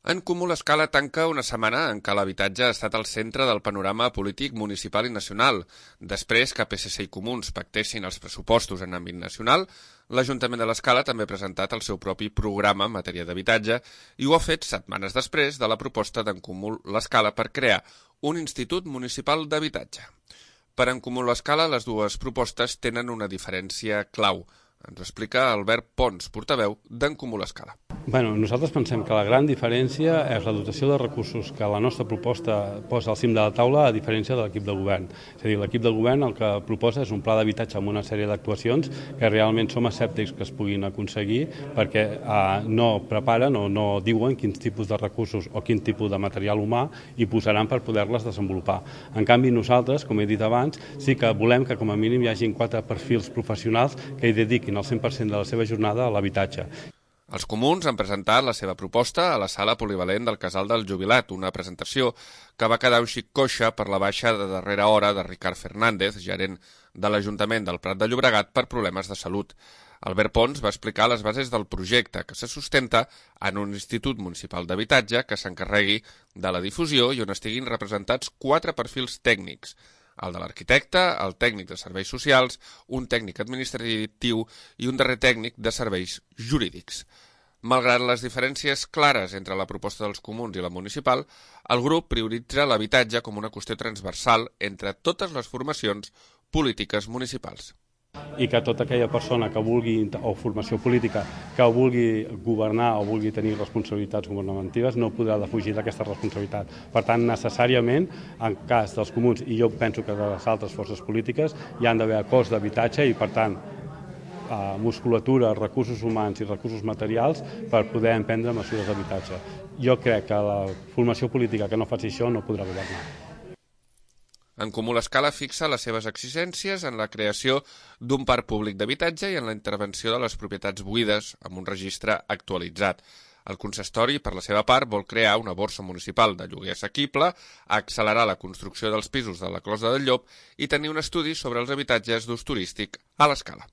En Comú l'Escala tanca una setmana en què l'habitatge ha estat al centre del panorama polític municipal i nacional. Després que PSC i Comuns pactessin els pressupostos en àmbit nacional, l'Ajuntament de l'Escala també ha presentat el seu propi programa en matèria d'habitatge i ho ha fet setmanes després de la proposta d'en Comú l'Escala per crear un Institut Municipal d'Habitatge. Per en Comú l'Escala, les dues propostes tenen una diferència clau. Ens ho explica Albert Pons, portaveu d'en Comú l'Escala. Nosaltres pensem que la gran diferència és la dotació de recursos que la nostra proposta posa al cim de la taula a diferència de l'equip de govern. És a dir, l'equip de govern el que proposa és un pla d'habitatge amb una sèrie d'actuacions que realment som escèptics que es puguin aconseguir perquè no preparen o no diuen quins tipus de recursos o quin tipus de material humà hi posaran per poder-les desenvolupar. En canvi, nosaltres, com he dit abans, sí que volem que com a mínim hi hagin 4 perfils professionals que hi dediquin el 100% de la seva jornada a l'habitatge. Els comuns han presentat la seva proposta a la sala polivalent del Casal del Jubilat, una presentació que va quedar un xic coixa per la baixa de darrera hora de Ricard Fernández, gerent de l'Ajuntament del Prat de Llobregat, per problemes de salut. Albert Pons va explicar les bases del projecte, que se sustenta en un institut municipal d'habitatge que s'encarregui de la difusió i on estiguin representats 4 perfils tècnics: el de l'arquitecte, el tècnic de serveis socials, un tècnic administratiu i un darrer tècnic de serveis jurídics. Malgrat les diferències clares entre la proposta dels comuns i la municipal, el grup prioritza l'habitatge com una qüestió transversal entre totes les formacions polítiques municipals. I que tota aquella persona que vulgui, o formació política, que vulgui governar o vulgui tenir responsabilitats governamentals no podrà defugir d'aquesta responsabilitat. Per tant, necessàriament, en cas dels comuns, i jo penso que de les altres forces polítiques, hi han d'haver acords d'habitatge i, per tant, musculatura, recursos humans i recursos materials per poder emprendre mesures d'habitatge. Jo crec que la formació política que no faci això no podrà governar. En Comú l'Escala fixa les seves exigències en la creació d'un parc públic d'habitatge i en la intervenció de les propietats buides amb un registre actualitzat. El consistori, per la seva part, vol crear una borsa municipal de lloguer assequible, accelerar la construcció dels pisos de la Closa del Llop i tenir un estudi sobre els habitatges d'ús turístic a l'Escala.